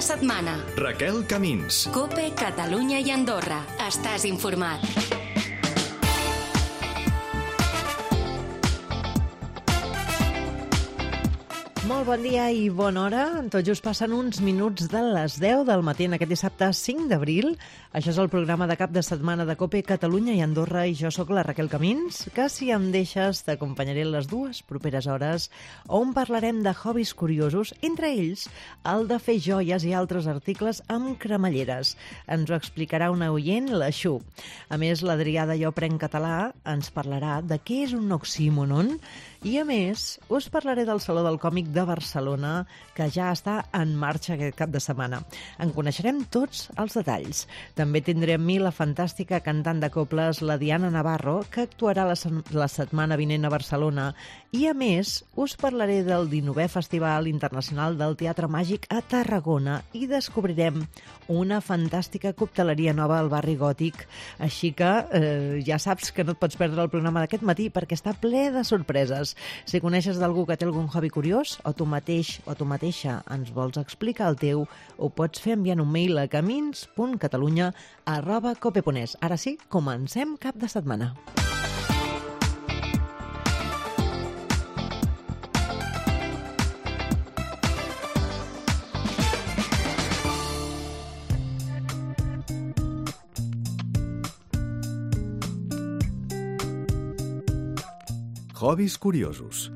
setmana. Raquel Camins. COPE, Catalunya i Andorra. Estàs informat. Molt bon dia i bona hora. Tot just passen uns minuts de les 10 del matí en aquest dissabte 5 d'abril. Això és el programa de cap de setmana de COPE, Catalunya i Andorra, i jo sóc la Raquel Camins, que si em deixes t'acompanyaré les dues properes hores on parlarem de hobbies curiosos, entre ells el de fer joies i altres articles amb cremalleres. Ens ho explicarà una oient, la Xu. A més, l'Adrià de Jo Prenc Català ens parlarà de què és un oxímoron i, a més, us parlaré del Saló del Còmic de Barcelona, que ja està en marxa aquest cap de setmana. En coneixerem tots els detalls. També tindrem amb mi la fantàstica cantant de coples, la Diana Navarro, que actuarà la setmana vinent a Barcelona. I, a més, us parlaré del 19è Festival Internacional del Teatre Màgic a Tarragona i descobrirem una fantàstica cocteleria nova al barri Gòtic. Així que ja saps que no et pots perdre el programa d'aquest matí perquè està ple de sorpreses. Si coneixes d'algú que té algun hobby curiós o tu mateix o tu mateixa ens vols explicar el teu, ho pots fer enviant un mail a camins.catalunya@cope.es. Ara sí, comencem cap de setmana. Hobbies curiosos.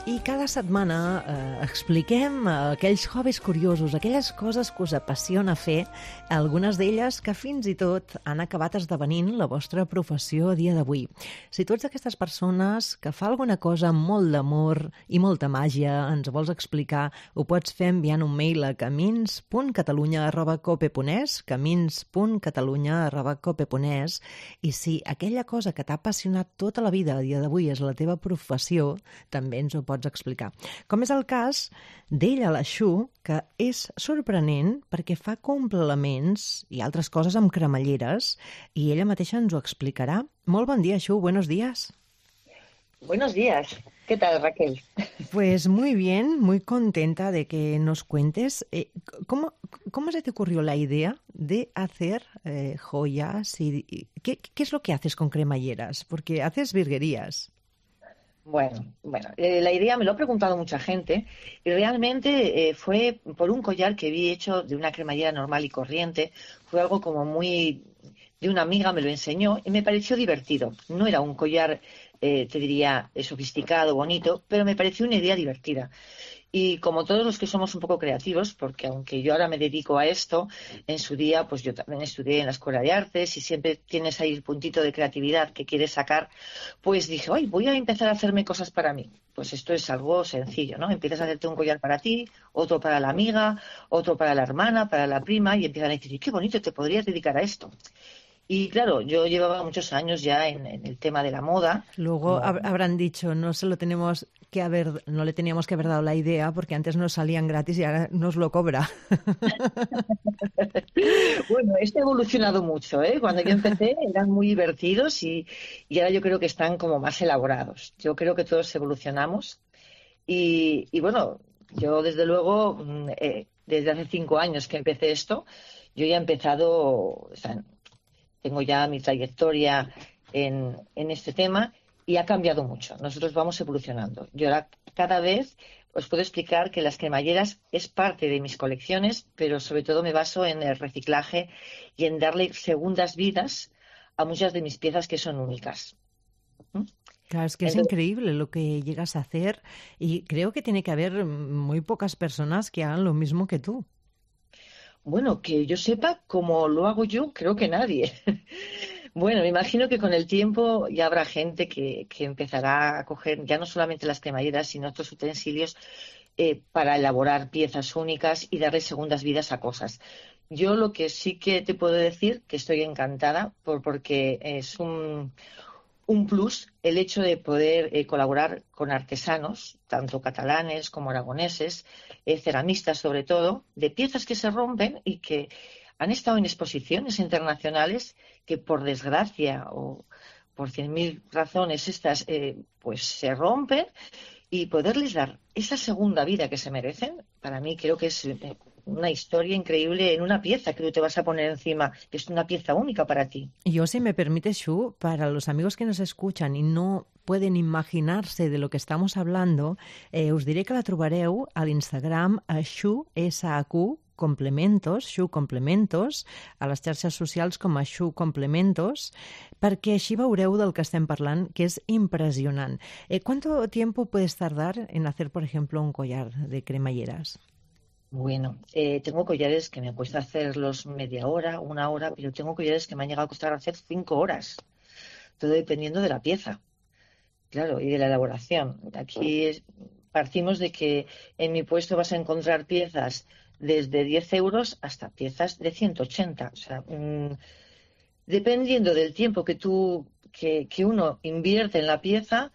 I cada setmana expliquem aquells hobbies curiosos, aquelles coses que us apassiona fer, algunes d'elles que fins i tot han acabat esdevenint la vostra professió a dia d'avui. Si tu ets d'aquestes persones que fa alguna cosa amb molt d'amor i molta màgia, ens vols explicar, ho pots fer enviant un mail a camins.catalunya@cope.es, camins.catalunya@cope.es, i si aquella cosa que t'ha apassionat tota la vida a dia d'avui és la teva professió, també ens ho pots explicar. Com és el cas d'ella, la Xu, que és sorprenent perquè fa complements i altres coses amb cremalleres i ella mateixa ens ho explicarà. Molt bon dia, Xu, buenos días. Buenos días. ¿Qué tal, Raquel? Pues muy bien, muy contenta de que nos cuentes. ¿Cómo se te ocurrió la idea de hacer joyas? Y ¿qué es lo que haces con cremalleras? Porque haces virguerías. Bueno, la idea me lo ha preguntado mucha gente y realmente fue por un collar que vi hecho de una cremallera normal y corriente. Fue algo como muy de una amiga, me lo enseñó y me pareció divertido. No era un collar, te diría, sofisticado, bonito, pero me pareció una idea divertida. Y como todos los que somos un poco creativos, porque aunque yo ahora me dedico a esto, en su día pues yo también estudié en la Escuela de Artes y siempre tienes ahí el puntito de creatividad que quieres sacar, pues dije, ¡ay, voy a empezar a hacerme cosas para mí! Pues esto es algo sencillo, ¿no? Empiezas a hacerte un collar para ti, otro para la amiga, otro para la hermana, para la prima, y empiezan a decir, ¡qué bonito, te podrías dedicar a esto! Y claro, yo llevaba muchos años ya en el tema de la moda. Luego habrán dicho, no le teníamos que haber dado la idea porque antes nos salían gratis y ahora nos lo cobra. Bueno, esto ha evolucionado mucho, ¿eh? Cuando yo empecé eran muy divertidos y ahora yo creo que están como más elaborados. Yo creo que todos evolucionamos y bueno, yo desde luego, desde hace 5 años que empecé esto, yo ya he empezado, o sea, tengo ya mi trayectoria en este tema y ha cambiado mucho. Nosotros vamos evolucionando. Yo ahora cada vez os puedo explicar que las cremalleras es parte de mis colecciones, pero sobre todo me baso en el reciclaje y en darle segundas vidas a muchas de mis piezas que son únicas. Claro, es que es increíble lo que llegas a hacer y creo que tiene que haber muy pocas personas que hagan lo mismo que tú. Bueno, que yo sepa cómo lo hago yo, creo que nadie. Bueno, me imagino que con el tiempo ya habrá gente que empezará a coger ya no solamente las cremalleras, sino otros utensilios para elaborar piezas únicas y darle segundas vidas a cosas. Yo lo que sí que te puedo decir, que estoy encantada, porque es un plus el hecho de poder colaborar con artesanos, tanto catalanes como aragoneses, ceramistas sobre todo, de piezas que se rompen y que han estado en exposiciones internacionales que por desgracia o por 100.000 razones estas pues se rompen y poderles dar esa segunda vida que se merecen, para mí creo que es una historia increíble en una pieza que tú te vas a poner encima, que es una pieza única para ti. Yo, si me permites, Xu, para los amigos que nos escuchan y no pueden imaginarse de lo que estamos hablando, us diré que la trobareu a l'Instagram a Xu, S-A-Q, Complementos, Xu Complementos, a les xarxes socials com a Xu Complementos, perquè així veureu del que estem parlant, que és impressionant. ¿Cuánto tiempo puedes tardar en hacer, por ejemplo, un collar de cremalleras? Bueno, tengo collares que me cuesta hacerlos media hora, una hora, pero tengo collares que me han llegado a costar hacer 5 horas, todo dependiendo de la pieza, claro, y de la elaboración. Aquí partimos de que en mi puesto vas a encontrar piezas desde 10 euros hasta piezas de 180. O sea, dependiendo del tiempo que uno invierte en la pieza,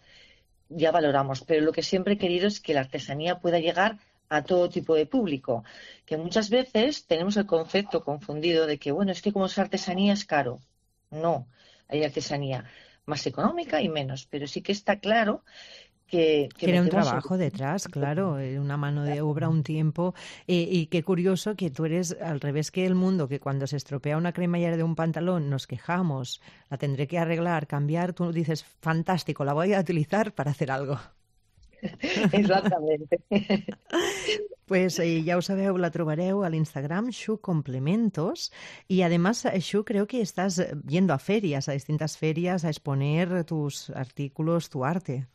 ya valoramos. Pero lo que siempre he querido es que la artesanía pueda llegar a todo tipo de público. Que muchas veces tenemos el concepto confundido de que, bueno, es que como es artesanía es caro. No, hay artesanía más económica y menos. Pero sí que está claro que tiene un trabajo detrás, claro, una mano de obra, un tiempo, y qué curioso que tú eres al revés que el mundo, que cuando se estropea una cremallera de un pantalón nos quejamos, la tendré que arreglar, cambiar, tú dices, fantástico, la voy a utilizar para hacer algo. Exactamente. Pues ya ho sabeu, la trobareu a l'Instagram, Xu Complementos, y además, Xu, creo que estás yendo a ferias, a distintas ferias, a exponer tus artículos, tu arte.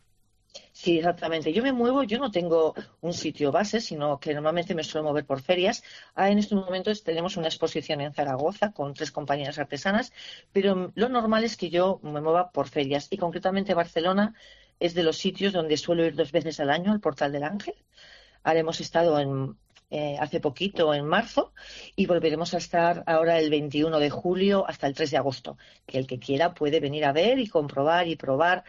Sí, exactamente. Yo me muevo, yo no tengo un sitio base, sino que normalmente me suelo mover por ferias. En estos momentos tenemos una exposición en Zaragoza con 3 compañeras artesanas, pero lo normal es que yo me mueva por ferias. Y concretamente Barcelona es de los sitios donde suelo ir 2 veces al año al Portal del Ángel. Ahora hemos estado hace poquito, en marzo, y volveremos a estar ahora el 21 de julio hasta el 3 de agosto. Que el que quiera puede venir a ver y comprobar y probar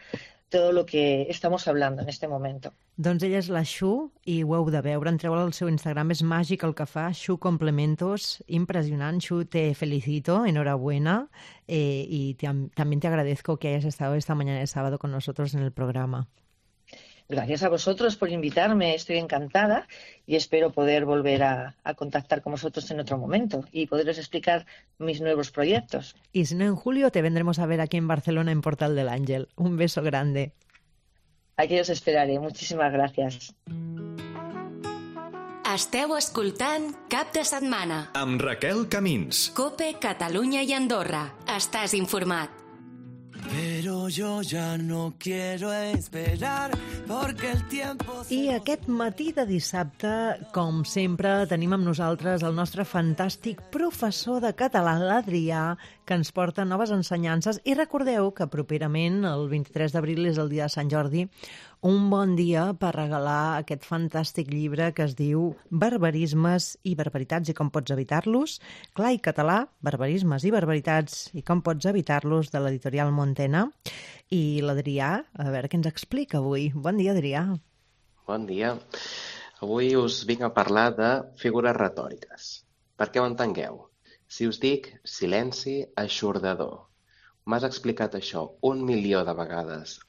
todo lo que estamos hablando en este momento. Doncs ella és la Xu i ho heu de veure. Entreu al seu Instagram, és màgic el que fa, Xu Complementos, impresionant. Xu, te felicito, enhorabuena, y también te agradezco que hayas estado esta mañana de sábado con nosotros en el programa. Gracias a vosotros por invitarme, estoy encantada y espero poder volver a contactar con vosotros en otro momento y poderos explicar mis nuevos proyectos. Y si no, en julio te vendremos a ver aquí en Barcelona, en Portal del Ángel. Un beso grande. Aquí os esperaré. Muchísimas gracias. Esteu escoltant Cap de Setmana. Amb Raquel Camins. COPE, Catalunya i Andorra. Estàs informat. Pero yo ya no quiero esperar porque el tiempo... I aquest matí de dissabte, com sempre, tenim amb nosaltres el nostre fantàstic professor de català, l'Adrià, que ens porta noves ensenyances. I recordeu que properament, el 23 d'abril, és el dia de Sant Jordi, un bon dia per regalar aquest fantàstic llibre que es diu Barbarismes i barbaritats i com pots evitar-los. Clar i català, barbarismes i barbaritats i com pots evitar-los, de l'editorial Montena. I l'Adrià, a veure què ens explica avui. Bon dia, Adrià. Bon dia. Avui us vinc a parlar de figures retòriques. Perquè ho entengueu. Si us dic silenci eixordador, m'has explicat això 1.000.000 de vegades.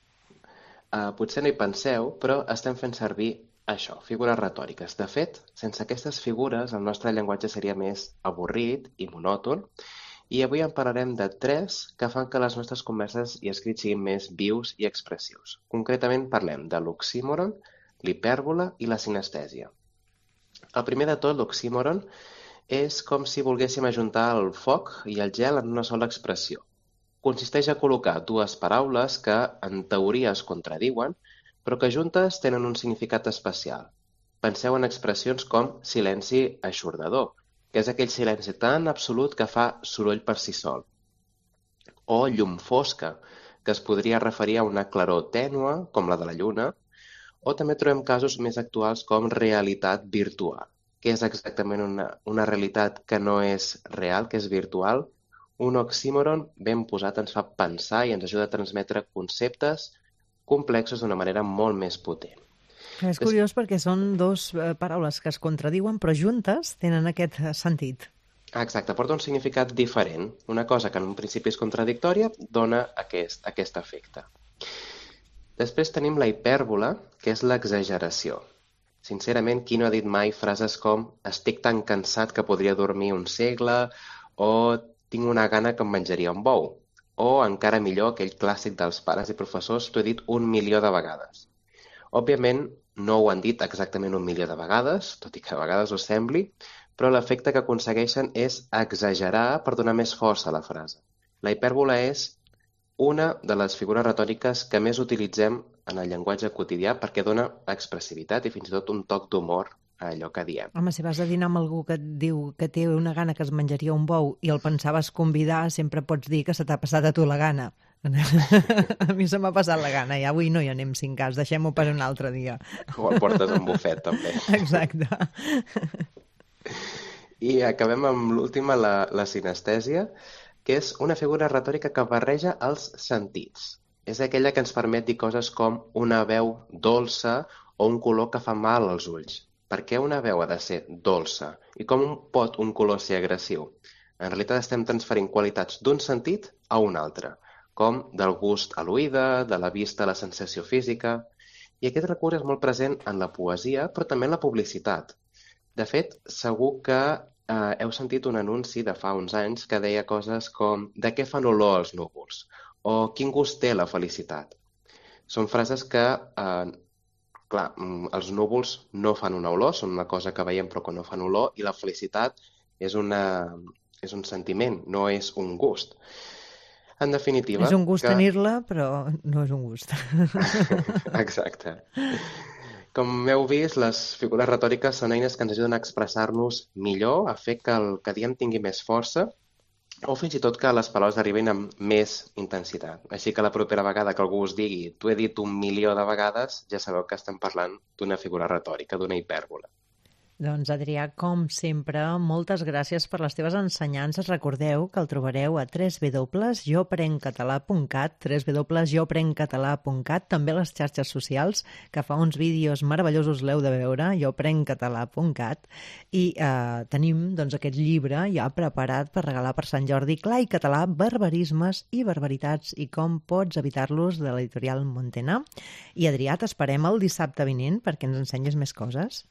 Potser no hi penseu, però estem fent servir això, figures retòriques. De fet, sense aquestes figures el nostre llenguatge seria més avorrit i monòton, i avui en parlarem de 3 que fan que les nostres converses i escrits siguin més vius i expressius. Concretament parlem de l'oxímoron, l'hipèrbola i la sinestèsia. El primer de tot, l'oxímoron, és com si volguéssim ajuntar el foc i el gel en una sola expressió. Consisteix a col·locar 2 paraules que, en teoria, es contradiuen, però que juntes tenen un significat especial. Penseu en expressions com silenci eixordador, que és aquell silenci tan absolut que fa soroll per si sol. O llum fosca, que es podria referir a una claror tènua, com la de la lluna, o també trobem casos més actuals com realitat virtual, que és exactament una realitat que no és real, que és virtual. Un oxímoron ben posat ens fa pensar i ens ajuda a transmetre conceptes complexos d'una manera molt més potent. És curiós perquè són 2 paraules que es contradiuen, però juntes tenen aquest sentit. Exacte, porta un significat diferent. Una cosa que en un principi és contradictòria dona aquest efecte. Després tenim la hipèrbola, que és l'exageració. Sincerament, qui no ha dit mai frases com estic tan cansat que podria dormir un segle o tinc una gana que em menjaria un bou? O, encara millor, aquell clàssic dels pares i professors, t'ho he dit 1.000.000 de vegades. Òbviament, no ho han dit exactament 1.000.000 de vegades, tot i que a vegades ho sembli, però l'efecte que aconsegueixen és exagerar per donar més força a la frase. La hipèrbola és una de les figures retòriques que més utilitzem en el llenguatge quotidià perquè dona expressivitat i fins i tot un toc d'humor a allò que diem. Home, si vas a dinar amb algú que et diu que té una gana que es menjaria un bou i el pensaves convidar, sempre pots dir que se t'ha passat a tu la gana. A mi se m'ha passat la gana i avui no hi anem 5 cas, deixem-ho per un altre dia. O el portes a un bufet, també. Exacte. I acabem amb l'última, la sinestèsia, que és una figura retòrica que barreja els sentits. És aquella que ens permet dir coses com una veu dolça o un color que fa mal als ulls. Per què una veu ha de ser dolça? I com pot un color ser agressiu? En realitat estem transferint qualitats d'un sentit a un altre, com del gust a l'oïda, de la vista a la sensació física. I aquest recurs és molt present en la poesia, però també en la publicitat. De fet, segur que heu sentit un anunci de fa uns anys que deia coses com «De què fan olor els núvols?» o «Quin gust té la felicitat?». Són frases que, clar, els núvols no fan una olor, són una cosa que veiem però que no fan olor, i la felicitat és un sentiment, no és un gust. En definitiva... És un gust tenir-la, però no és un gust. Exacte. Com heu vist, les figures retòriques són eines que ens ajuden a expressar-nos millor, a fer que el que diem tingui més força, o fins i tot que les paraules arribin amb més intensitat. Així que la propera vegada que algú us digui «t'ho he dit 1.000.000 de vegades», ja sabeu que estem parlant d'una figura retòrica, d'una hipèrbola. Doncs, Adrià, com sempre, moltes gràcies per les teves ensenyances. Recordeu que el trobareu a www.joprencatalà.cat, www.joprencatalà.cat, també a les xarxes socials, que fa uns vídeos meravellosos, l'heu de veure, joprencatalà.cat, i tenim doncs, aquest llibre ja preparat per regalar per Sant Jordi, Clar i català, barbarismes i barbaritats i com pots evitar-los, de l'editorial Montena. I, Adrià, t'esperem el dissabte vinent perquè ens ensenyis més coses.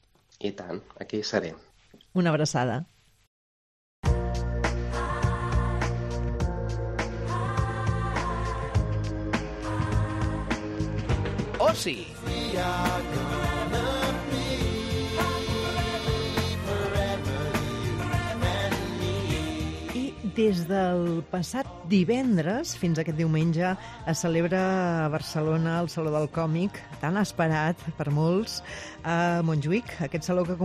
I tant, aquí seré. Una abraçada. Oci. Des del passat divendres fins a aquest diumenge es celebra a Barcelona el Saló del Còmic, tan esperat per molts, a Montjuïc. Aquest saló que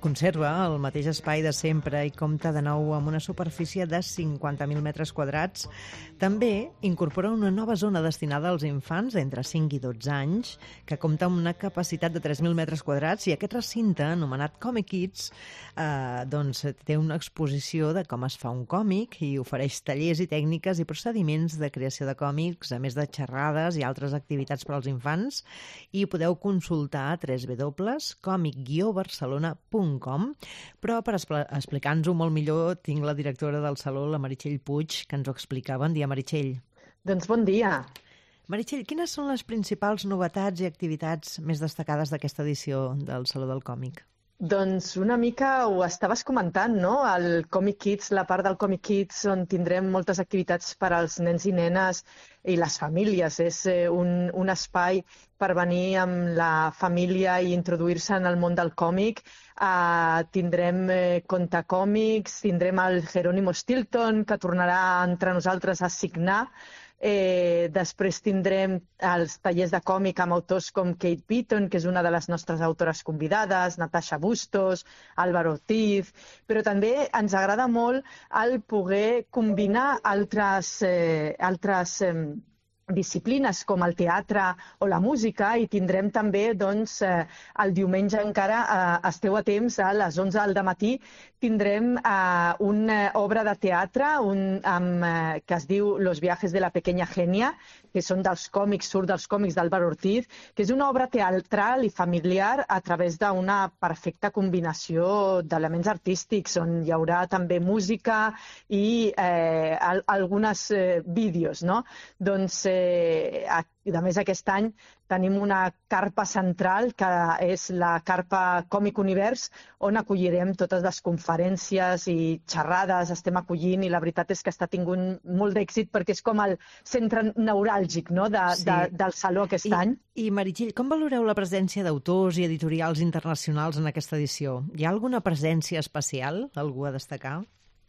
conserva el mateix espai de sempre i compta de nou amb una superfície de 50.000 metres quadrats. També incorpora una nova zona destinada als infants d'entre 5 i 12 anys, que compta amb una capacitat de 3.000 metres quadrats, i aquest recinte, anomenat Comic Kids, doncs té una exposició de com es fa un còmic i ofereix tallers i tècniques i procediments de creació de còmics, a més de xerrades i altres activitats per als infants, i podeu consultar a www.comic-barcelona.com. Però per explicar-nos-ho molt millor tinc la directora del Saló, la Meritxell Puig, que ens ho explica. Bon dia, Meritxell. Doncs bon dia. Meritxell, quines són les principals novetats i activitats més destacades d'aquesta edició del Saló del Còmic? Doncs una mica ho estaves comentant, no? El Comic Kids, la part del Comic Kids on tindrem moltes activitats per als nens i nenes i les famílies. És un espai per venir amb la família i introduir-se en el món del còmic. Tindrem contacòmics, tindrem el Jerónimo Stilton, que tornarà entre nosaltres a signar. Després tindrem els tallers de còmic amb autors com Kate Beaton, que és una de les nostres autores convidades, Natasha Bustos, Álvaro Ortiz, però també ens agrada molt el poder combinar altres disciplines com el teatre o la música, i tindrem també doncs, el diumenge encara, esteu a temps, a les 11 del matí, tindrem una obra de teatre que es diu Los viajes de la pequeña genia, que són surt dels còmics d'Álvaro Ortiz, que és una obra teatral i familiar a través d'una perfecta combinació d'elements artístics, on hi haurà també música i alguns vídeos, no? Doncs a més aquest any tenim una carpa central que és la carpa Còmic Univers, on acollirem totes les conferències i xerrades, estem acollint, i la veritat és que està tingut molt d'èxit perquè és com el centre neuràlgic, no?, del Saló aquest any. I Meritxell, com valoreu la presència d'autors i editorials internacionals en aquesta edició? Hi ha alguna presència especial, algú a destacar?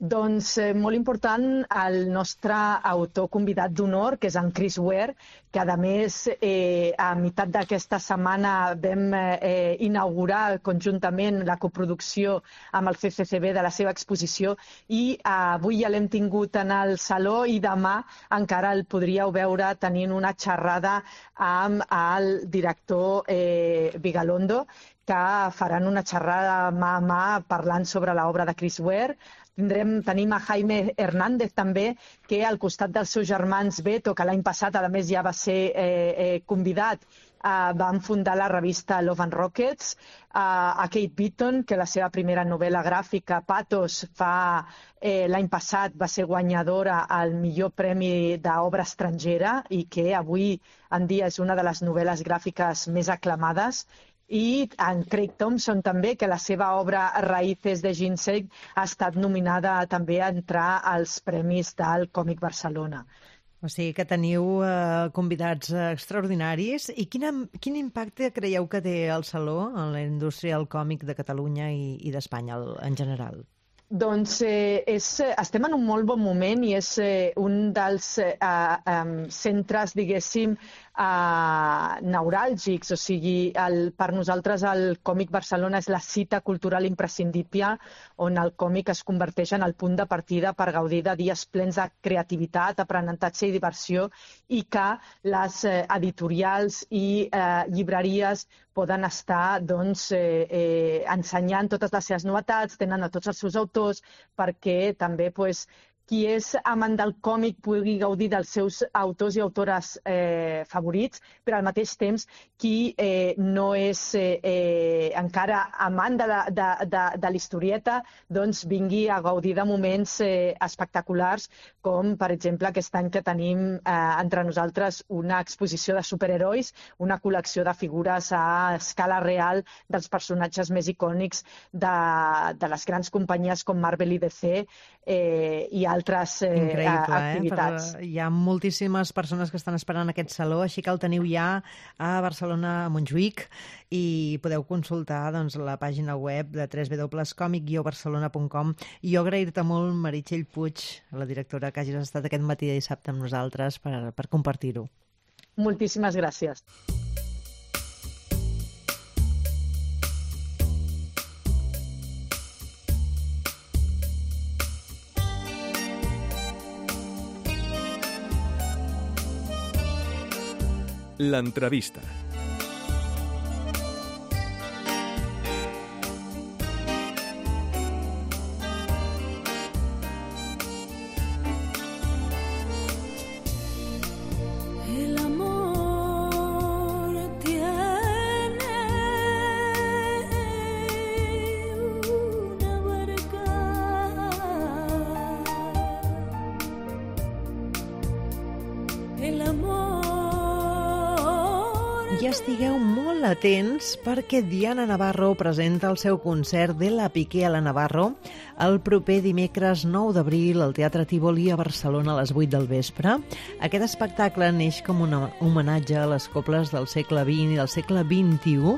Doncs molt important el nostre autor convidat d'honor, que és en Chris Ware, que a més a meitat d'aquesta setmana vam inaugurar conjuntament la coproducció amb el CCCB de la seva exposició, i avui ja l'hem tingut en el Saló i demà encara el podríeu veure tenint una xerrada amb el director Vigalondo, que faran una xerrada mà a mà parlant sobre l'obra de Chris Ware. Tenim a Jaime Hernández també, que al costat dels seus germans Beto, que l'any passat a més ja va ser convidat, van fundar la revista Love and Rockets, a Kate Beaton, que la seva primera novel·la gràfica, Pathos, l'any passat va ser guanyadora al millor premi d'obra estrangera i que avui en dia és una de les novel·les gràfiques més aclamades. I en Craig Thompson també, que la seva obra Raíces de Ginseng ha estat nominada també a entrar als premis del Còmic Barcelona. O sigui que teniu convidats extraordinaris. I quin impacte creieu que té el Saló en la indústria del còmic de Catalunya i d'Espanya en general? Doncs estem en un molt bon moment i és un dels centres, diguéssim, neuràlgics. O sigui, per nosaltres el Còmic Barcelona és la cita cultural imprescindible on el còmic es converteix en el punt de partida per gaudir de dies plens de creativitat, aprenentatge i diversió, i que les editorials i llibreries poden estar ensenyant totes les seves novetats, tenen a tots els seus autors, perquè també qui és amant del còmic pugui gaudir dels seus autors i autores favorits, però al mateix temps qui no és encara amant de l'historieta doncs vingui a gaudir de moments espectaculars, com per exemple aquest any que tenim entre nosaltres una exposició de superherois, una col·lecció de figures a escala real dels personatges més icònics de les grans companyies com Marvel i DC i altres activitats. Hi ha moltíssimes persones que estan esperant aquest saló, així que el teniu ja a Barcelona, a Montjuïc, i podeu consultar la pàgina web de www.comic-barcelona.com. I jo agrair-te molt, Meritxell Puig, la directora, que hagis estat aquest matí de dissabte amb nosaltres per compartir-ho. Moltíssimes gràcies. L'entrevista. Ja estigueu molt atents perquè Diana Navarro presenta el seu concert de La Piqué a la Navarro el proper dimecres 9 d'abril al Teatre Tívoli a Barcelona a les 8 del vespre. Aquest espectacle neix com un homenatge a les coples del segle XX i del segle XXI.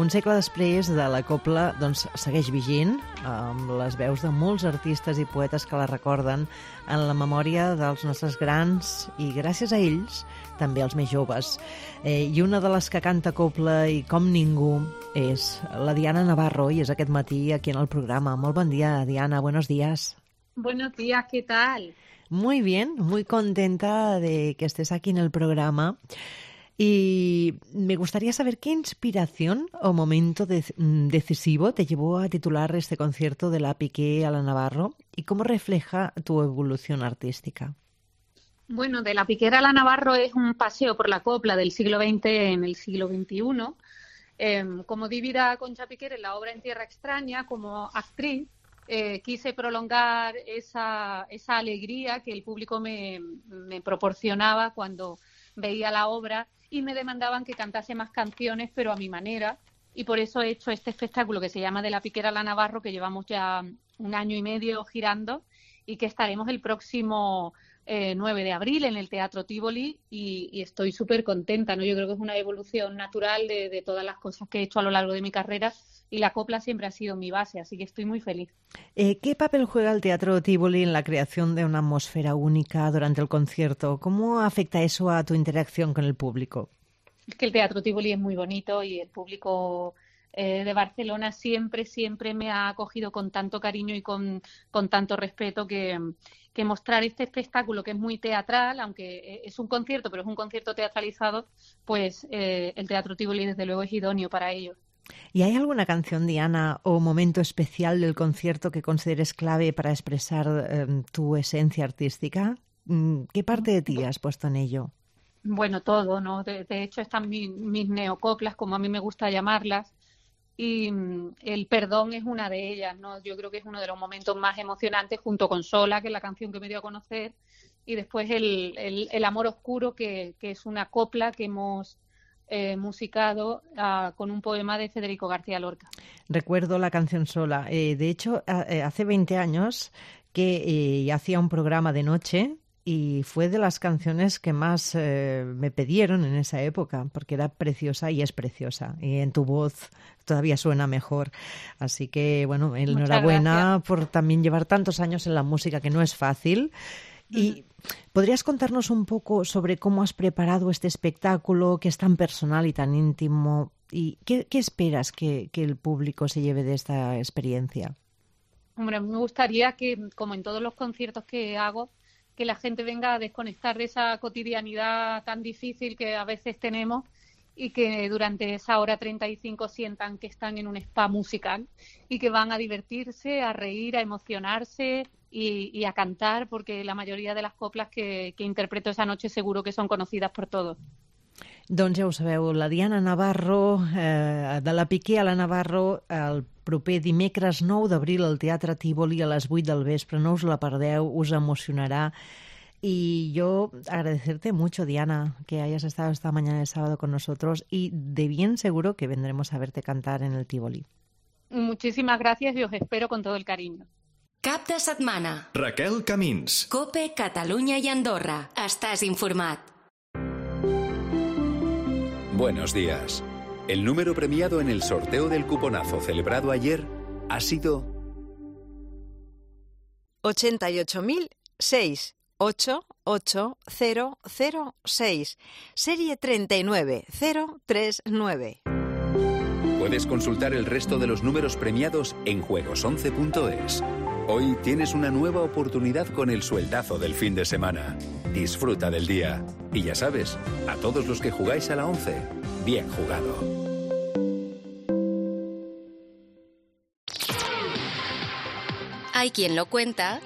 Un segle després de la copla segueix vigent, amb les veus de molts artistes i poetes que la recorden en la memòria dels nostres grans i, gràcies a ells, també els més joves. I una de les que canta copla i com ningú és la Diana Navarro i és aquest matí aquí en el programa. Molt bon dia, Diana, buenos días. Buenos días, ¿qué tal? Muy bien, muy contenta de que estés aquí en el programa. Y me gustaría saber qué inspiración o momento decisivo te llevó a titular este concierto de La Piqué a la Navarro y cómo refleja tu evolución artística. Bueno, de La Piquera a la Navarro es un paseo por la copla del siglo XX en el siglo XXI. Como divida Concha Piquer en la obra En Tierra Extraña, como actriz, quise prolongar esa alegría que el público me proporcionaba cuando veía la obra y me demandaban que cantase más canciones, pero a mi manera. Y por eso he hecho este espectáculo que se llama De la Piquera a la Navarro, que llevamos ya 1 año y medio girando y que estaremos el próximo 9 de abril en el Teatro Tívoli y estoy súper contenta, ¿no? Yo creo que es una evolución natural de todas las cosas que he hecho a lo largo de mi carrera y la copla siempre ha sido mi base, así que estoy muy feliz. ¿Qué papel juega el Teatro Tívoli en la creación de una atmósfera única durante el concierto? ¿Cómo afecta eso a tu interacción con el público? Es que el Teatro Tívoli es muy bonito y el público de Barcelona siempre me ha acogido con tanto cariño y con tanto respeto que mostrar este espectáculo que es muy teatral, aunque es un concierto, pero es un concierto teatralizado, pues el Teatro Tívoli desde luego es idóneo para ello. ¿Y hay alguna canción, Diana, o momento especial del concierto que consideres clave para expresar tu esencia artística? ¿Qué parte de ti has puesto en ello? Bueno, todo, ¿no? De hecho están mis neocoplas, como a mí me gusta llamarlas, y el perdón es una de ellas, ¿no? Yo creo que es uno de los momentos más emocionantes junto con Sola, que es la canción que me dio a conocer, y después el amor oscuro, que es una copla que hemos musicado con un poema de Federico García Lorca. Recuerdo la canción Sola. De hecho, hace 20 años que hacía un programa de noche y fue de las canciones que más me pidieron en esa época, porque era preciosa y es preciosa. Y en tu voz todavía suena mejor. Así que, bueno, enhorabuena por también llevar tantos años en la música, que no es fácil. Y ¿podrías contarnos un poco sobre cómo has preparado este espectáculo, que es tan personal y tan íntimo? ¿Y qué esperas que el público se lleve de esta experiencia? Hombre, me gustaría que, como en todos los conciertos que hago, que la gente venga a desconectar de esa cotidianidad tan difícil que a veces tenemos y que durante esa hora 35 sientan que están en un spa musical y que van a divertirse, a reír, a emocionarse y a cantar, porque la mayoría de las coplas que interpreto esa noche seguro que son conocidas por todos. Doncs ja ho sabeu, la Diana Navarro, de la Piqué a la Navarro, el proper dimecres 9 d'abril al Teatre Tívoli a les 8 del vespre. No us la perdeu, us emocionará. Y yo agradecerte mucho, Diana, que hayas estado esta mañana de sábado con nosotros y de bien seguro que vendremos a verte cantar en el Tívoli. Muchísimas gracias y os espero con todo el cariño. Cap de setmana. Raquel Camins. COPE, Catalunya i Andorra. Estàs informat. Buenos días. El número premiado en el sorteo del cuponazo celebrado ayer ha sido 88.006. 88006, serie 39039. Puedes consultar el resto de los números premiados en juegos11.es. Hoy tienes una nueva oportunidad con el sueldazo del fin de semana. Disfruta del día. Y ya sabes, a todos los que jugáis a la 11, bien jugado. Hay quien lo cuenta.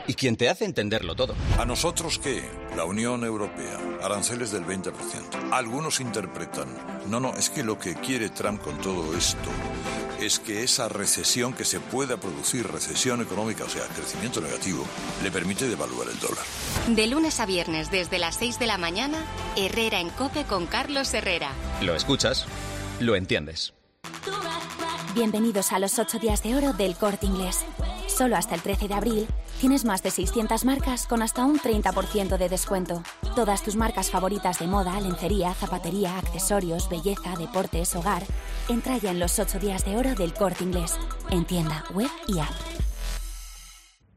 ¿Y quién te hace entenderlo todo? ¿A nosotros qué? La Unión Europea, aranceles del 20%. Algunos interpretan, no, es que lo que quiere Trump con todo esto es que esa recesión que se pueda producir, recesión económica, o sea, crecimiento negativo, le permite devaluar el dólar. De lunes a viernes desde las 6 de la mañana, Herrera en COPE con Carlos Herrera. Lo escuchas, lo entiendes. Bienvenidos a los 8 días de oro del Corte Inglés. Solo hasta el 13 de abril tienes más de 600 marcas con hasta un 30% de descuento. Todas tus marcas favoritas de moda, lencería, zapatería, accesorios, belleza, deportes, hogar. Entra ya en los 8 días de oro del Corte Inglés. En tienda, web y app.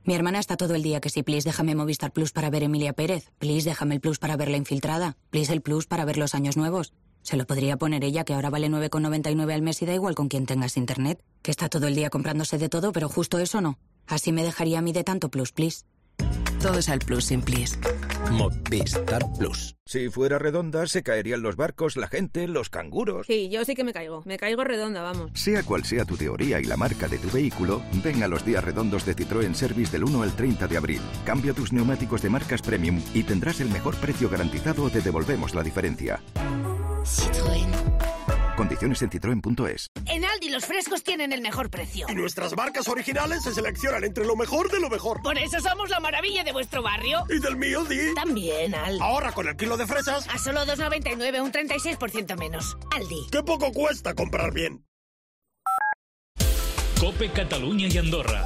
Mi hermana está todo el día que si please déjame Movistar Plus para ver Emilia Pérez, please déjame el Plus para ver La Infiltrada, please el Plus para ver Los Años Nuevos. Se lo podría poner ella, que ahora vale 9,99 al mes y da igual con quien tengas internet. Que está todo el día comprándose de todo, pero justo eso no. Así me dejaría a mí de tanto Plus, please. Todo es al Plus sin please. Movistar Plus. Si fuera redonda, se caerían los barcos, la gente, los canguros. Sí, yo sí que me caigo. Me caigo redonda, vamos. Sea cual sea tu teoría y la marca de tu vehículo, ven a los días redondos de Citroën Service del 1 al 30 de abril. Cambia tus neumáticos de marcas premium y tendrás el mejor precio garantizado o te devolvemos la diferencia. Citroën. Condiciones Condiciones en citroen.es. En Aldi los frescos tienen el mejor precio. Y nuestras marcas originales se seleccionan entre lo mejor de lo mejor. Por eso somos la maravilla de vuestro barrio. ¿Y del mío, Di? También, Aldi. Ahorra con el kilo de fresas a solo 2,99, un 36% menos. Aldi. ¡Qué poco cuesta comprar bien! COPE Catalunya i Andorra.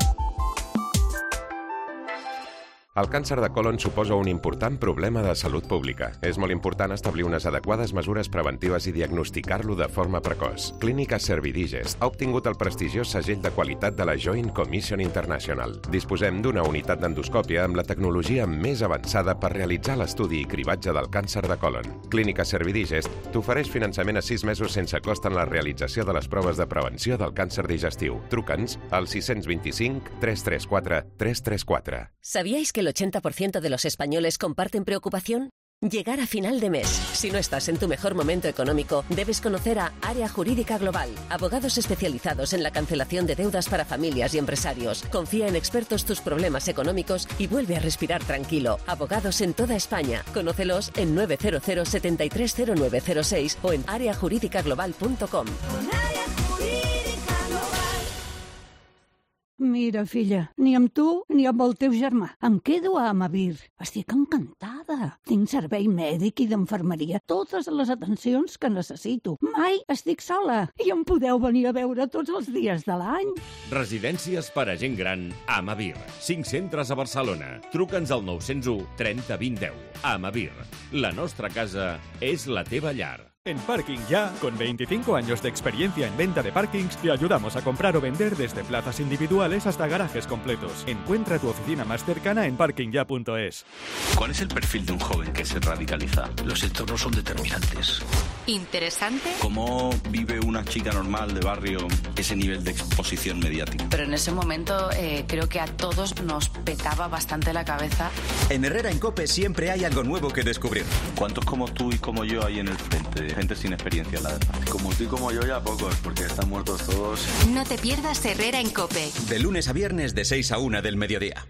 El càncer de colon suposa un important problema de salut pública. És molt important establir unes adequades mesures preventives i diagnosticar-lo de forma precoç. Clínica Servidigest ha obtingut el prestigiós segell de qualitat de la Joint Commission International. Disposem d'una unitat d'endoscòpia amb la tecnologia més avançada per realitzar l'estudi i cribatge del càncer de colon. Clínica Servidigest t'ofereix finançament a 6 mesos sense cost en la realització de les proves de prevenció del càncer digestiu. Truca'ns al 625 334 334. ¿Sabíais que el 80% de los españoles comparten preocupación? Llegar a final de mes. Si no estás en tu mejor momento económico, debes conocer a Área Jurídica Global, abogados especializados en la cancelación de deudas para familias y empresarios. Confía en expertos tus problemas económicos y vuelve a respirar tranquilo. Abogados en toda España. Conócelos en 900 730906 o en areajuridicaglobal.com. Mira, filla, ni amb tu ni amb el teu germà. Em quedo a Amavir. Estic encantada. Tinc servei mèdic i d'infermeria, totes les atencions que necessito. Mai estic sola i em podeu venir a veure tots els dies de l'any. Residències per a gent gran Amavir. 5 centres a Barcelona. Truca'ns al 901 30 20 10. Amavir. La nostra casa és la teva llar. En Parking Ya, con 25 años de experiencia en venta de parkings, te ayudamos a comprar o vender desde plazas individuales hasta garajes completos. Encuentra tu oficina más cercana en parkingya.es. ¿Cuál es el perfil de un joven que se radicaliza? Los entornos son determinantes. ¿Interesante? ¿Cómo vive una chica normal de barrio ese nivel de exposición mediática? Pero en ese momento creo que a todos nos petaba bastante la cabeza. En Herrera en COPE siempre hay algo nuevo que descubrir. ¿Cuántos como tú y como yo hay en el frente? Gente sin experiencia, la verdad. Como tú y como yo ya pocos, porque están muertos todos. No te pierdas Herrera en COPE. De lunes a viernes de 6 a 1 del mediodía.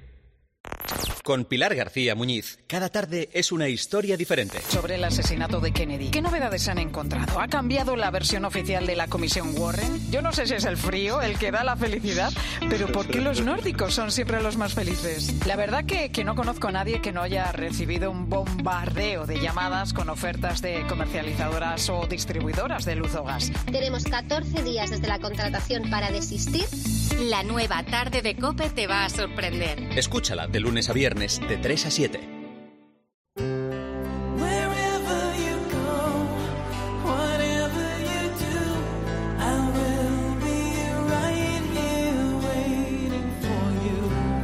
Con Pilar García Muñiz, cada tarde es una historia diferente. Sobre el asesinato de Kennedy, ¿qué novedades han encontrado? ¿Ha cambiado la versión oficial de la Comisión Warren? Yo no sé si es el frío el que da la felicidad, pero ¿por qué los nórdicos son siempre los más felices? La verdad que no conozco a nadie que no haya recibido un bombardeo de llamadas con ofertas de comercializadoras o distribuidoras de luz o gas. Tenemos 14 días desde la contratación para desistir. La nueva tarde de COPE te va a sorprender. Escúchala de lunes a viernes de 3 a 7.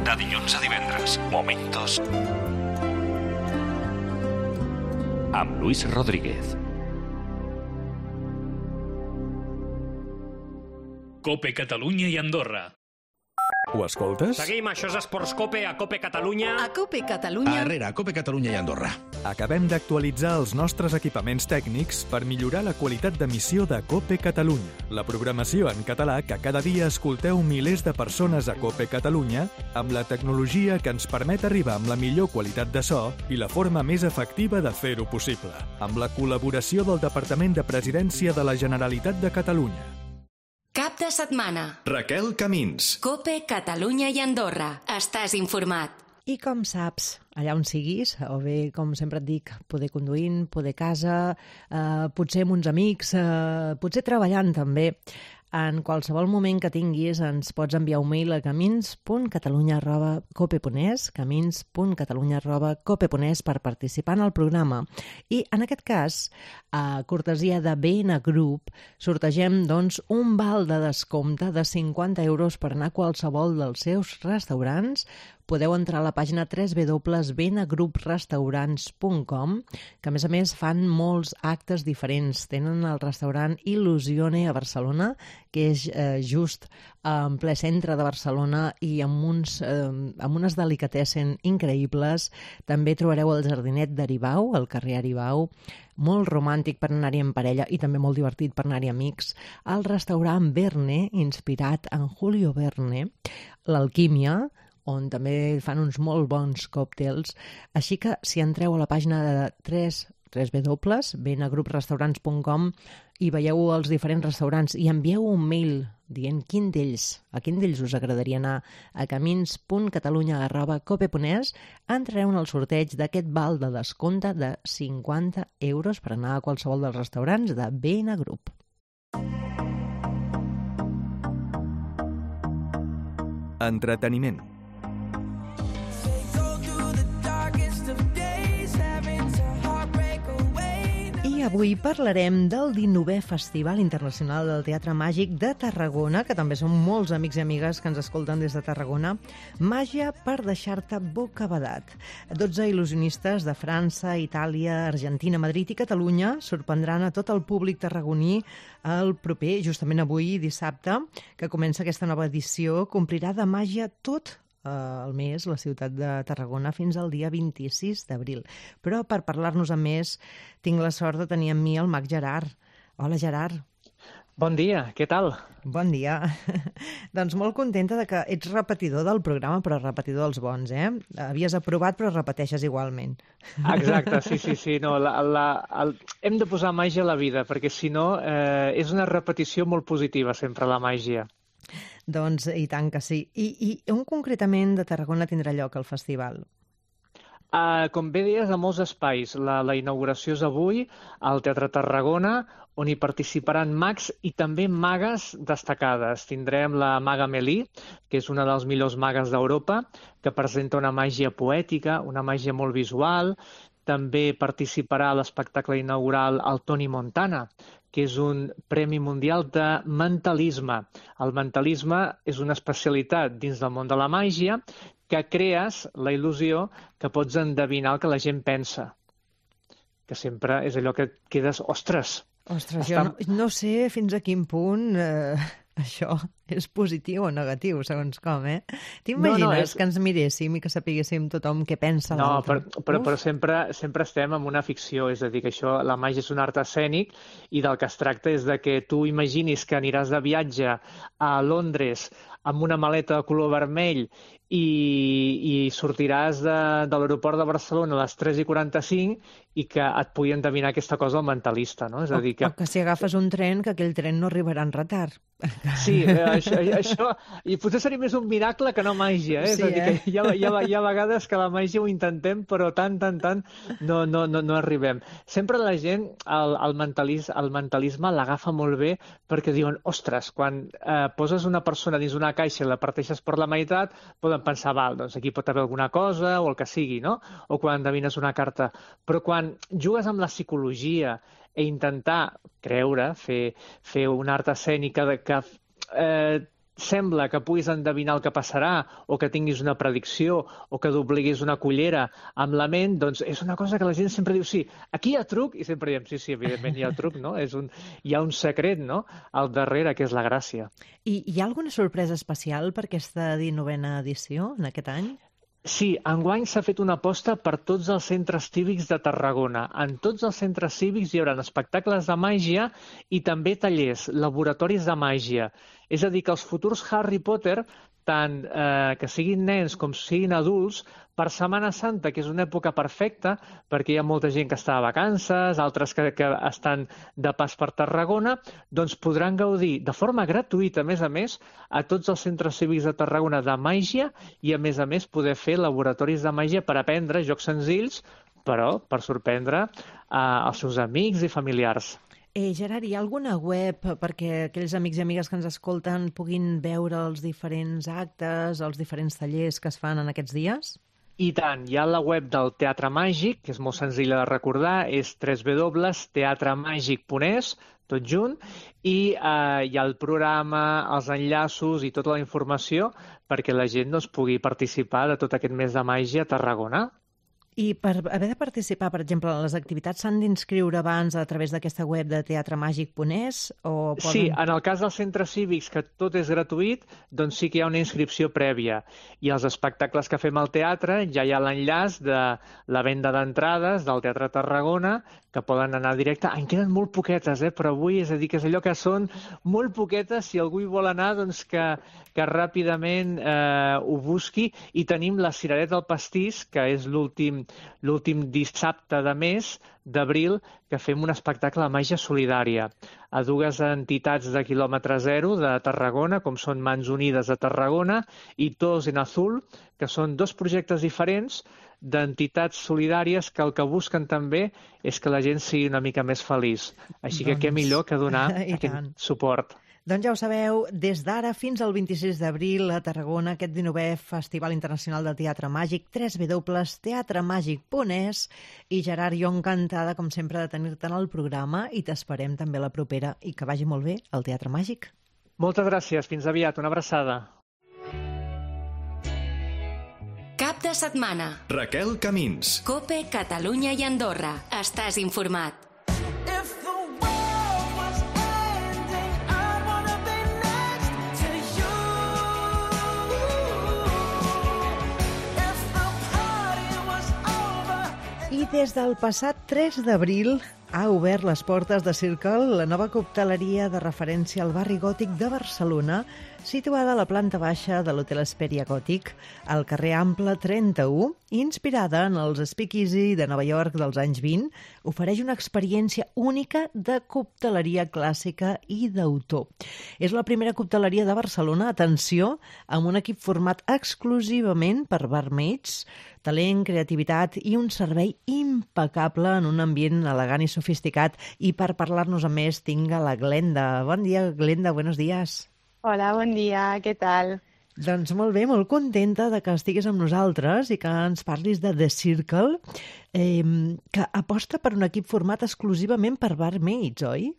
De dilluns a divendres, Momentos amb Luis Rodríguez. COPE Catalunya i Andorra. Ho escoltes? Seguim, això és Esports COPE, a COPE Catalunya. A COPE Catalunya. A Herrera, a COPE Catalunya i Andorra. Acabem d'actualitzar els nostres equipaments tècnics per millorar la qualitat d'emissió de COPE Catalunya, la programació en català que cada dia escolteu milers de persones a COPE Catalunya, amb la tecnologia que ens permet arribar amb la millor qualitat de so i la forma més efectiva de fer-ho possible, amb la col·laboració del Departament de Presidència de la Generalitat de Catalunya. Cap de setmana. Raquel Camins. COPE Catalunya i Andorra. Estàs informat. I com saps, allà on siguis, o bé, com sempre et dic, poder conduint, poder a casa, potser amb uns amics, potser treballant també. En qualsevol moment que tinguis ens pots enviar un mail a camins.catalunya@cope.es, camins.catalunya@cope.es per participar en el programa. I en aquest cas, a cortesia de BN Group, sortegem doncs, un val de descompte de 50 euros per anar a qualsevol dels seus restaurants. Podeu entrar a la pàgina www.benagrouprestaurants.com, que a més fan molts actes diferents. Tenen el restaurant Il·lusione a Barcelona, que és just en ple centre de Barcelona i amb unes delicatessen increïbles. També trobareu el jardinet d'Aribau, al carrer Aribau, molt romàntic per anar-hi en parella i també molt divertit per anar-hi amics. El restaurant Verne, inspirat en Julio Verne, l'Alquímia, on també fan uns molt bons còctels. Així que si entreu a la pàgina de www.benagruprestaurants.com i veieu els diferents restaurants i envieu un mail dient a quin d'ells us agradaria anar a camins.catalunya@cope.es, entrareu en el sorteig d'aquest val de descompte de 50 euros per anar a qualsevol dels restaurants de Benagrup. Entreteniment. I avui parlarem del 19è Festival Internacional del Teatre Màgic de Tarragona, que també són molts amics i amigues que ens escolten des de Tarragona. Màgia per deixar-te bocabadat. 12 il·lusionistes de França, Itàlia, Argentina, Madrid i Catalunya sorprendran a tot el públic tarragoní el proper, justament avui, dissabte, que comença aquesta nova edició, complirà de màgia tot el mes la ciutat de Tarragona fins al dia 26 d'abril. Però per parlar-nos amb més tinc la sort de tenir amb mi el mag Gerard. Hola, Gerard. Bon dia, què tal? Bon dia. Doncs molt contenta de que ets repetidor del programa, però repetidor dels bons, eh? Havies aprovat però repeteixes igualment. Exacte, sí. No, hem de posar màgia a la vida, perquè si no és una repetició molt positiva sempre la màgia. Doncs i tant que sí. I on concretament de Tarragona tindrà lloc el festival? Com bé deies, a molts espais. La inauguració és avui al Teatre Tarragona, on hi participaran mags i també magues destacades. Tindrem la maga Melí, que és una dels millors magues d'Europa, que presenta una màgia poètica, una màgia molt visual. També participarà a l'espectacle inaugural el Toni Montana, que és un premi mundial de mentalisme. El mentalisme és una especialitat dins del món de la màgia que crees la il·lusió que pots endevinar el que la gent pensa. Que sempre és allò que quedes, ostres! Ostres, jo no sé fins a quin punt això és positiu o negatiu, segons com, eh? T'imagines que ens miréssim i que sapiguéssim tothom què pensa l'altre? No, però sempre estem en una ficció, és a dir, que això, la màgia és un art escènic i del que es tracta és de que tu imaginis que aniràs de viatge a Londres amb una maleta de color vermell i sortiràs de l'aeroport de Barcelona a les 3:45 i que et pugui endevinar aquesta cosa el mentalista, no? És a dir, o que si agafes un tren, que aquell tren no arribarà en retard. Sí, això i potser seria més un miracle que no màgia, eh? Sí, és a dir, que hi ha vegades que la màgia ho intentem, però tant no arribem. Sempre la gent el mentalisme l'agafa molt bé perquè diuen, ostres, quan poses una persona dins una caixa i la parteixes per la meitat, poden pensar, val, doncs aquí pot haver alguna cosa o el que sigui, no? O quan endevines una carta. Però quan jugues amb la psicologia i intentar creure, fer una art escènica que sembla que puguis endevinar el que passarà o que tinguis una predicció o que d'obliguis una cullera amb la ment, doncs és una cosa que la gent sempre diu, sí, aquí hi ha truc, i sempre diem, sí, evidentment hi ha truc, no? Hi ha un secret, no?, al darrere, que és la gràcia. I hi ha alguna sorpresa especial per aquesta 19a edició, en aquest any? Sí, enguany s'ha fet una aposta per tots els centres cívics de Tarragona. En tots els centres cívics hi haurà espectacles de màgia i també tallers, laboratoris de màgia. És a dir, que els futurs Harry Potter, tant que siguin nens com siguin adults, per Setmana Santa, que és una època perfecta, perquè hi ha molta gent que està de vacances, altres que estan de pas per Tarragona, doncs podran gaudir de forma gratuïta, a més, a tots els centres cívics de Tarragona de màgia i, a més, poder fer laboratoris de màgia per aprendre jocs senzills, però per sorprendre els seus amics i familiars. Gerard, hi ha alguna web perquè aquells amics i amigues que ens escolten puguin veure els diferents actes, els diferents tallers que es fan en aquests dies? I tant, hi ha la web del Teatre Màgic, que és molt senzilla de recordar, és www.teatremagic.es, tot junt, i hi ha el programa, els enllaços i tota la informació perquè la gent pugui participar de tot aquest mes de màgia a Tarragona. I per haver de participar, per exemple, en les activitats, s'han d'inscriure abans a través d'aquesta web de teatremagic.es? Sí, en el cas dels centres cívics, que tot és gratuït, doncs sí que hi ha una inscripció prèvia. I els espectacles que fem al teatre ja hi ha l'enllaç de la venda d'entrades del Teatre Tarragona, que poden anar directe. En queden molt poquetes, però avui és a dir que és allò que són molt poquetes. Si algú hi vol anar, doncs que ràpidament ho busqui. I tenim la Cirereta del Pastís, que és l'últim dissabte de mes d'abril, que fem un espectacle de màgia solidària a dues entitats de quilòmetre zero de Tarragona, com són Mans Unides de Tarragona i Todos en Azul, que són dos projectes diferents d'entitats solidàries que el que busquen també és que la gent sigui una mica més feliç. Així que què millor que donar aquest suport. Doncs ja ho sabeu, des d'ara fins al 26 d'abril a Tarragona, aquest 19è Festival Internacional de Teatre Màgic, www.teatremàgic.es. I Gerard, jo encantada, com sempre, de tenir-te en el programa i t'esperem també a la propera i que vagi molt bé el Teatre Màgic. Moltes gràcies, fins aviat, una abraçada. Cap de setmana. Raquel Camins. COPE, Catalunya i Andorra. Estàs informat. I des del passat 3 d'abril ha obert les portes de Circle, la nova cocteleria de referència al barri gòtic de Barcelona, situada a la planta baixa de l'Hotel Hesperia Gòtic, al carrer Ample 31, inspirada en els speakeasy de Nova York dels anys 20, ofereix una experiència única de cocteleria clàssica i d'autor. És la primera cocteleria de Barcelona, atenció, amb un equip format exclusivament per barmaids, talent, creativitat i un servei impecable en un ambient elegant i sofisticat. I per parlar-nos a més tinc a la Glenda. Bon dia, Glenda, buenos días. Hola, bon dia, què tal? Doncs molt bé, molt contenta de que estiguis amb nosaltres i que ens parlis de The Circle, que aposta per un equip format exclusivament per barmaids, oi?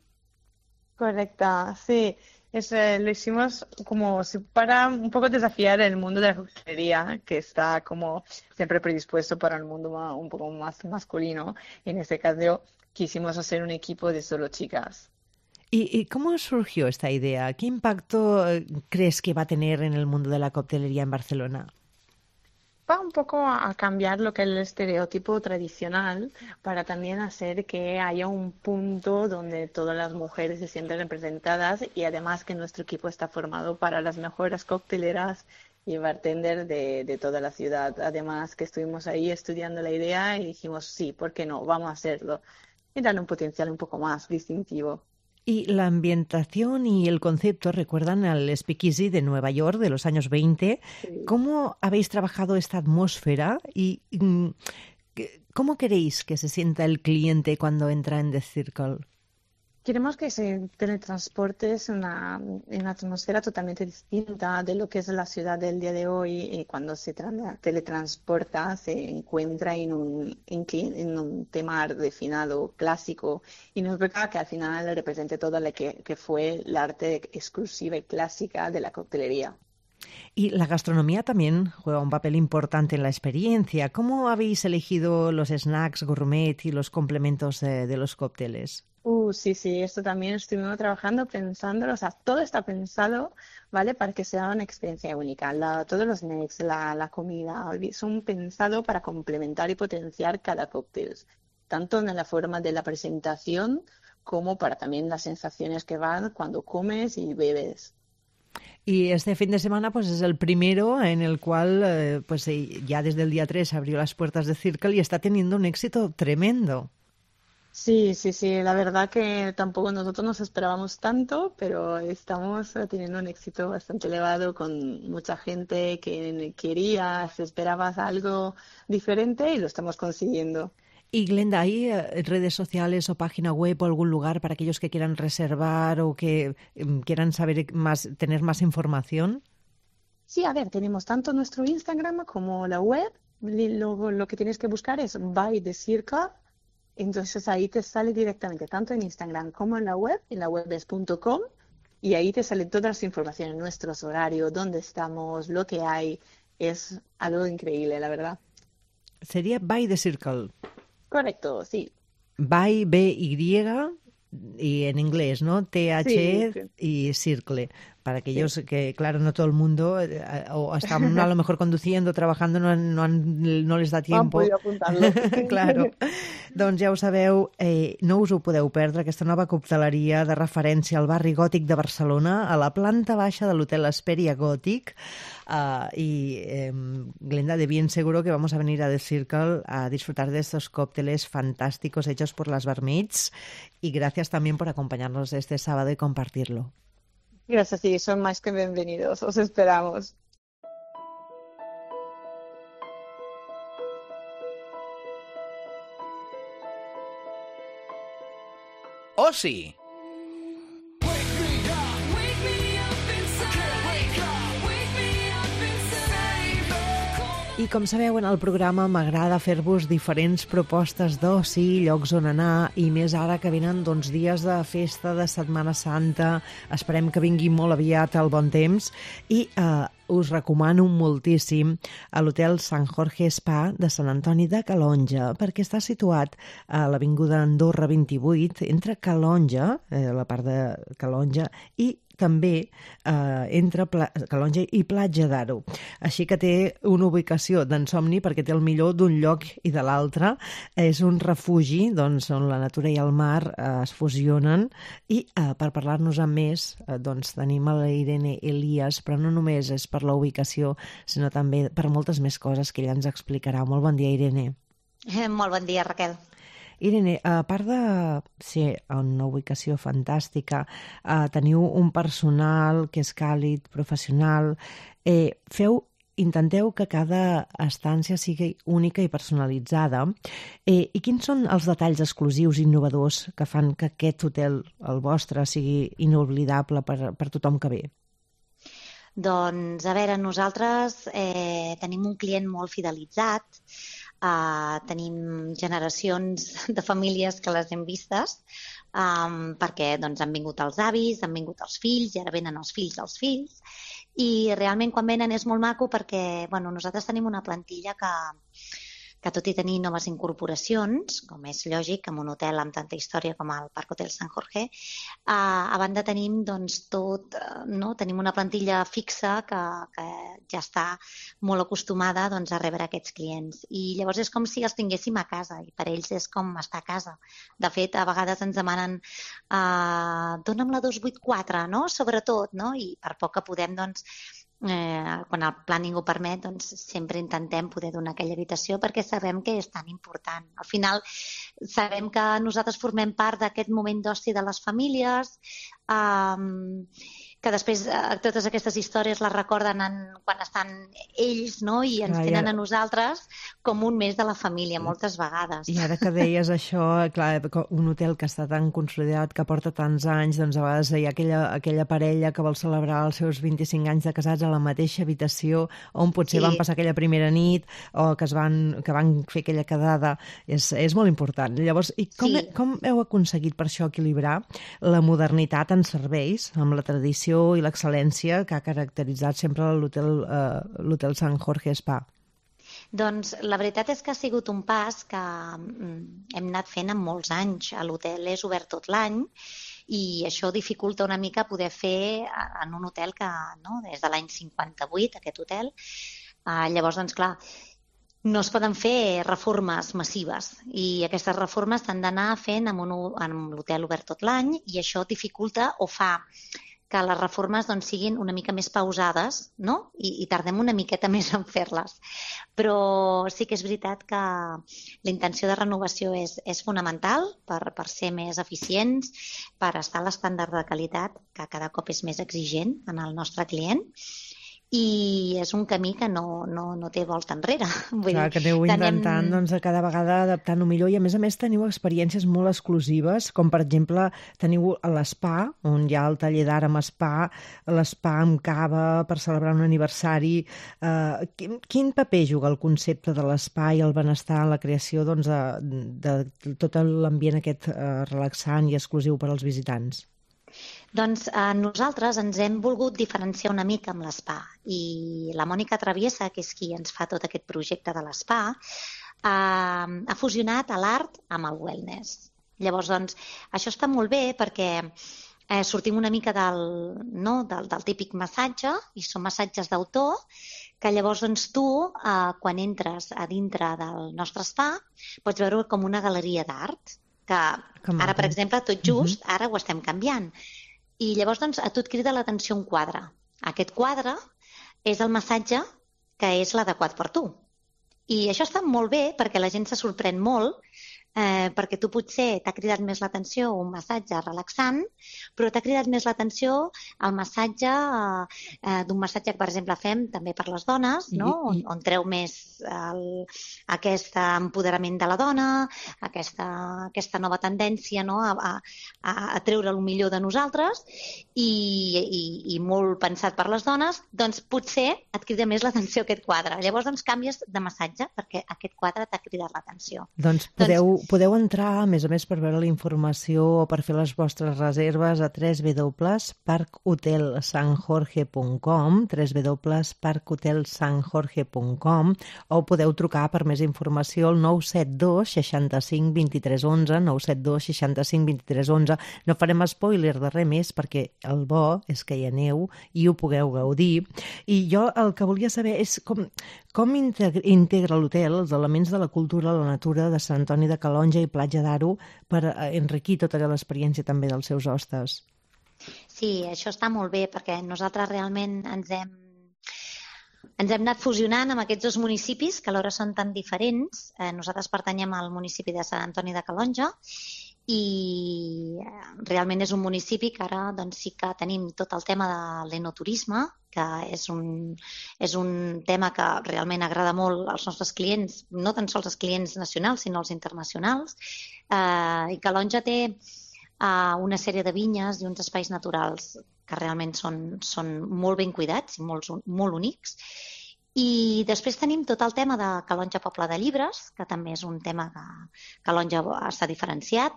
Correcte, sí. Lo hicimos como para un poco desafiar el mundo de la coctelería, que está como siempre predispuesto para el mundo un poco más masculino. En este caso quisimos hacer un equipo de solo chicas. ¿Y cómo surgió esta idea? ¿Qué impacto crees que va a tener en el mundo de la coctelería en Barcelona? Va un poco a cambiar lo que es el estereotipo tradicional para también hacer que haya un punto donde todas las mujeres se sienten representadas y además que nuestro equipo está formado para las mejores cocteleras y bartender de toda la ciudad. Además que estuvimos ahí estudiando la idea y dijimos sí, ¿por qué no? Vamos a hacerlo y darle un potencial un poco más distintivo. Y la ambientación y el concepto recuerdan al speakeasy de Nueva York de los años 20. Sí. ¿Cómo habéis trabajado esta atmósfera y cómo queréis que se sienta el cliente cuando entra en The Circle? Queremos que se teletransporte una atmósfera totalmente distinta de lo que es la ciudad del día de hoy. Y cuando se teletransporta se encuentra en un tema refinado, clásico, y nos toca que al final represente todo lo que fue el arte exclusiva y clásica de la coctelería. Y la gastronomía también juega un papel importante en la experiencia. ¿Cómo habéis elegido los snacks gourmet y los complementos de los cócteles? Sí, esto también estuvimos trabajando, pensándolo, o sea, todo está pensado, ¿vale? Para que sea una experiencia única. Todos los snacks, la comida, son pensados para complementar y potenciar cada cóctel, tanto en la forma de la presentación como para también las sensaciones que van cuando comes y bebes. Y este fin de semana pues es el primero en el cual pues ya desde el día 3 abrió las puertas de Circle y está teniendo un éxito tremendo. Sí, la verdad que tampoco nosotros nos esperábamos tanto, pero estamos teniendo un éxito bastante elevado con mucha gente que quería, se esperaba algo diferente y lo estamos consiguiendo. Y Glenda, ¿hay redes sociales o página web o algún lugar para aquellos que quieran reservar o que quieran saber más, tener más información? Sí, a ver, tenemos tanto nuestro Instagram como la web. Lo que tienes que buscar es By The Circle. Entonces ahí te sale directamente, tanto en Instagram como en la web es .com, y ahí te salen todas las informaciones, nuestros horarios, dónde estamos, lo que hay. Es algo increíble, la verdad. Sería By The Circle. Correcto, sí. By, B-Y, y en inglés, ¿no? T-H-E y Circle. para aquellos que, claro, no todo el mundo o están a lo mejor conduciendo, trabajando, no les da tiempo. Han podido apuntarlo. Claro. Doncs ja ho sabeu, no us ho podeu perdre, aquesta nova cocteleria de referència al barri gòtic de Barcelona, a la planta baixa de l'hotel Hesperia Gòtic. Glenda, de bien seguro que vamos a venir a The Circle a disfrutar de estos cócteles fantásticos hechos por las barmaids, y gracias también por acompañarnos este sábado y compartirlo. Gracias, sí, son más que bienvenidos, os esperamos. OSI. I com sabeu, en el programa m'agrada fer-vos diferents propostes d'oci, llocs on anar, i més ara que venen dies de festa de Setmana Santa. Esperem que vingui molt aviat el bon temps, i us recomano moltíssim a l'hotel Sant Jorge Spa de Sant Antoni de Calonge, perquè està situat a l'avinguda Andorra 28, entre Calonge, la part de Calonge, i també entre Calonge i Platja d'Aro. Així que té una ubicació d'ensomni perquè té el millor d'un lloc i de l'altre. És un refugi on la natura i el mar es fusionen, i per parlar-nos amb més tenim a la Irene Elias, però no només és per la ubicació, sinó també per moltes més coses que ella ens explicarà. Molt bon dia, Irene. Molt bon dia, Raquel. Irene, a part de ser una ubicació fantàstica, teniu un personal que és càlid, professional, intenteu que cada estància sigui única i personalitzada. I quins són els detalls exclusius i innovadors que fan que aquest hotel, el vostre, sigui inoblidable per tothom que ve? Doncs, a veure, nosaltres tenim un client molt fidelitzat, tenim generacions de famílies que les hem vistes, perquè han vingut els avis, han vingut els fills, i ara venen els fills dels fills, i realment quan venen és molt maco perquè nosaltres tenim una plantilla que tot i tenir noves incorporacions, com és lògic, en un hotel amb tanta història com el Parc Hotel Sant Jorge, a banda tenim tenim una plantilla fixa que ja està molt acostumada a rebre aquests clients. I llavors és com si els tinguéssim a casa, i per ells és com estar a casa. De fet, a vegades ens demanen dona'm la 284, no? Sobretot, no? I per poc que podem, quan el planning ho permet, sempre intentem poder donar aquella habitació perquè sabem que és tan important. Al final sabem que nosaltres formem part d'aquest moment d'oci de les famílies, que després totes aquestes històries les recorden quan estan ells, no? I ens tenen a nosaltres com un mes de la família, moltes vegades. I ara que deies això, clar, un hotel que està tan consolidat, que porta tants anys, a vegades hi ha aquella parella que vol celebrar els seus 25 anys de casats a la mateixa habitació, on potser van passar aquella primera nit, o que van fer aquella quedada. És molt important. Llavors, com heu aconseguit per això equilibrar la modernitat en serveis amb la tradició i l'excel·lència que ha caracteritzat sempre l'hotel Sant Jorge Spa? Doncs la veritat és que ha sigut un pas que hem anat fent en molts anys. L'hotel és obert tot l'any i això dificulta una mica poder fer en un hotel que, des de l'any 58, aquest hotel. Llavors, clar, no es poden fer reformes massives i aquestes reformes s'han d'anar fent amb l'hotel obert tot l'any, i això dificulta o fa que les reformes siguin una mica més pausades, no? I tardem una miqueta més en fer-les. Però sí que és veritat que la intenció de renovació és fonamental per ser més eficients, per estar a l'estàndard de qualitat que cada cop és més exigent en el nostre client. I és un camí que no té volta enrere. Clar, que aneu intentant cada vegada adaptant-ho millor, i a més teniu experiències molt exclusives, com per exemple teniu l'Spa, on hi ha el taller d'art amb spa, l'Spa amb cava per celebrar un aniversari. Quin paper juga el concepte de l'Spa i el benestar en la creació de tot l'ambient aquest relaxant i exclusiu per als visitants? Doncs nosaltres ens hem volgut diferenciar una mica amb l'Spa, i la Mònica Traviesa, que és qui ens fa tot aquest projecte de l'Spa, ha fusionat l'art amb el wellness. Llavors, això està molt bé perquè sortim una mica del típic massatge, i són massatges d'autor, que llavors tu, quan entres a dintre del nostre spa, pots veure com una galeria d'art, que ara, per exemple, tot just, ara ho estem canviant. I llavors a tu et crida l'atenció un quadre. Aquest quadre és el massatge que és l'adequat per tu. I això està molt bé perquè la gent se sorprèn molt, perquè tu potser t'ha cridat més l'atenció un massatge relaxant, però t'ha cridat més l'atenció el massatge d'un massatge que, per exemple, fem també per les dones, no? On treu més aquest empoderament de la dona, aquesta nova tendència, no? a treure el millor de nosaltres, i molt pensat per les dones, doncs potser et crida més l'atenció aquest quadre. Llavors canvies de massatge perquè aquest quadre t'ha cridat l'atenció. Doncs podeu entrar, a més, per veure la informació o per fer les vostres reserves a www.parkhotelsanjorge.com, www.parkhotelsanjorge.com, o podeu trucar per més informació al 972 65 23 11, 972 65 23 11. No farem spoiler de res més perquè el bo és que hi aneu i ho pugueu gaudir. I jo el que volia saber és com integra l'hotel els elements de la cultura, la natura de Sant Antoni de Calonge i Platja d'Aro per enriquir tota l'experiència també dels seus hostes. Sí, això està molt bé perquè nosaltres realment ens hem anat fusionant amb aquests dos municipis que alhora són tan diferents. Nosaltres pertanyem al municipi de Sant Antoni de Calonge i realment és un municipi que ara doncs, sí que tenim tot el tema de l'enoturisme, que és un tema que realment agrada molt als nostres clients, no tan sols els clients nacionals, sinó els internacionals. I Calonge té una sèrie de vinyes i uns espais naturals que realment són molt ben cuidats i molt únics. I després tenim tot el tema de Calonge Poble de Llibres, que també és un tema que Calonge està diferenciat,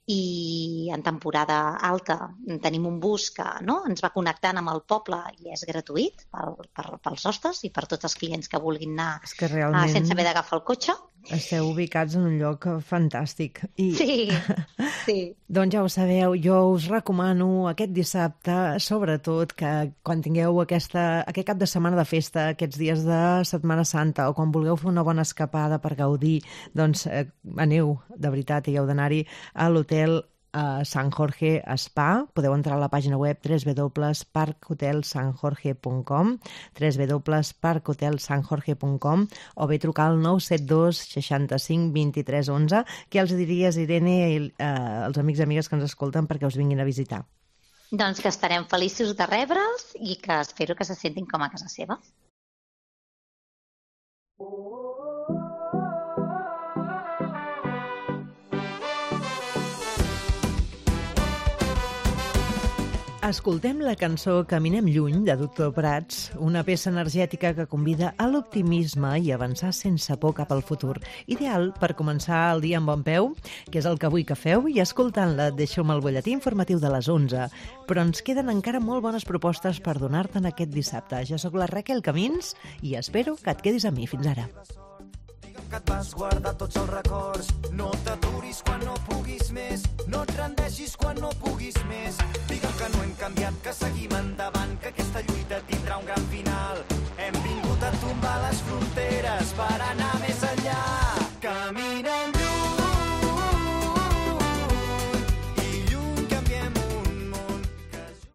i en temporada alta tenim un bus que ens va connectant amb el poble i és gratuït pels hostes i per tots els clients que vulguin anar sense haver d'agafar el cotxe. Esteu ubicats en un lloc fantàstic. Sí. Doncs ja ho sabeu, jo us recomano aquest dissabte, sobretot que quan tingueu aquest cap de setmana de festa, aquests dies de Setmana Santa, o quan vulgueu fer una bona escapada per gaudir, doncs aneu, de veritat, i heu d'anar-hi a l'hotel Sant Jorge Spa. Podeu entrar a la pàgina web www.parkhotelsanjorge.com, www.parkhotelsanjorge.com, o bé trucar al 972 65 23 11. Què els diries, Irene, als amics i amigues que ens escolten perquè us vinguin a visitar? Doncs que estarem feliços de rebre'ls i que espero que se sentin com a casa seva. Escoltem la cançó Caminem lluny, de Doctor Prats, una peça energètica que convida a l'optimisme i avançar sense por cap al futur. Ideal per començar el dia amb bon peu, que és el que vull que feu, i escoltant-la et deixo amb el butlletí informatiu de les 11. Però ens queden encara molt bones propostes per donar-te'n aquest dissabte. Jo sóc la Raquel Camins i espero que et quedis amb mi. Fins ara. Que et vas guardar tots els records. No t'aturis quan no puguis més, no et rendeixis quan no puguis més. Digue'm que no hem canviat, que seguim endavant, que aquesta lluita tindrà un gran final.